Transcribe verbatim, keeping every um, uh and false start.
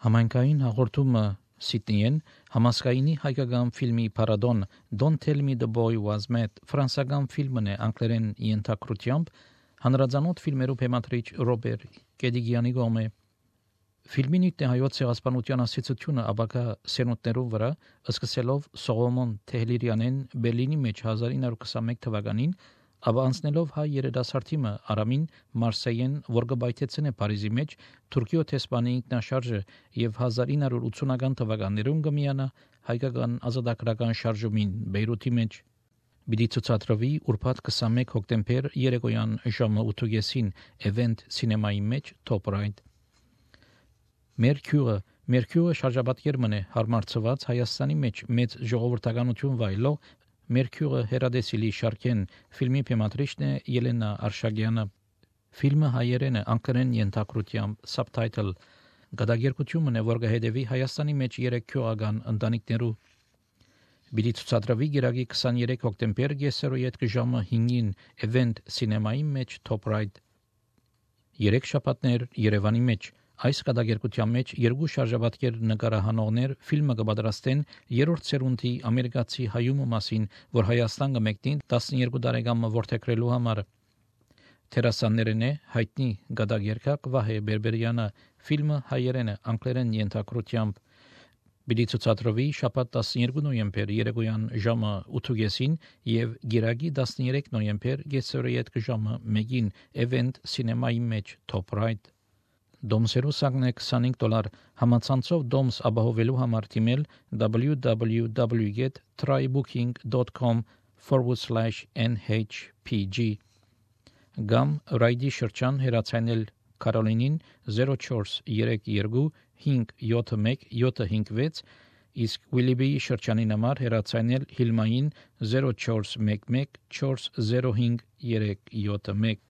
Համայնքային հաղորդումը Սիդնեյն համասկայնի հայկական ֆիլմի փառատոն Don't Tell Me the Boy Was Mad ֆրանսիական ֆիլմն է անգլերեն ենթակրությամբ հանրազանոթ ֆիլմերու բեմադրիչ Ռոբերտ Կեդիգյանի կողմէ ֆիլմի նույնն է հայոց ցեղասպանության ասացությունը ապակա սերունդներու վրա սկսելով Սողոմոն Թեհլիրյանեն Բերլինի մեջ հազար ինը հարյուր քսանմեկ թվականին ապա անցնելով հայ երիտասարդիմը Արամին Մարսեյեն որ գբայթեցին է Փարիզի մեջ Թուրքիո տեսփանի ինքնաշարժը եւ հազար ինը հարյուր ութսունական թվականներուն կմիանա հայկական ազատագրական շարժումին Բեյրութի մեջ Բիդի ցուցադրվի ուրբաթ քսանմեկ հոկտեմբեր երեկոյան ժամը ութ Event Cinema-ի մեջ Top Right Մերկյուրը Մերկյուրը շարժաբատկերմն է հարմարցված Հայաստանի մեջ մեծ ժողովրդականություն վայելող Մերկյուրը հերադեսիլի շարքեն ֆիլմի բեմադրիչն է Ելենա Արշակյանը ֆիլմը հայերեն է անգլերեն ենթակրությամբ subtitle գդագերկությունն է որ կհետևի Հայաստանի մեջ երեք քյոական ընտանիքներու Բիդի ցուցադրվի գիրագի քսաներեք հոկտեմբեր գեսերոյետ ժամը հինգին Event Cinema-ի մեջ Top Right երեք շաբաթներ Երևանի մեջ Այս կատակերգության մեջ երկու շարժաբատկեր նկարահանողներ ֆիլմը կպատրաստեն երրորդ սերունդի ամերիկացի հայումը մասին, որ Հայաստան կմեկնին տասներկու տարեկան որդեգրելու համար։ Թերասաններն է հայտնի կատակերգակ Վահե Բերբերյանը, ֆիլմը հայերեն է անգլերեն ենթակրությամբ։ Բիդի ցուցադրվի շաբաթ տասներկու նոյեմբեր երեկոյան ժամը ութ եւ գիրագի տասներեք նոյեմբեր գեսերոյետ ժամը մեկին Event Cinema-ի մեջ Top Right Դոմսերու սակն է քսանհինգ դոլար համացանցով դոմս ապահովելու համար թիմել w w w dot trybooking dot com forward slash n h p g Գամ ռայդի շրջան հեռացանել Կարոլինին zero four երեք երկու հինգ յոթ մեկ յոթ հինգ վեց իսկ Ուիլիբի շրջանին համար հեռացանել Հիլմային zero four մեկ մեկ four zero հինգ երեք յոթ մեկ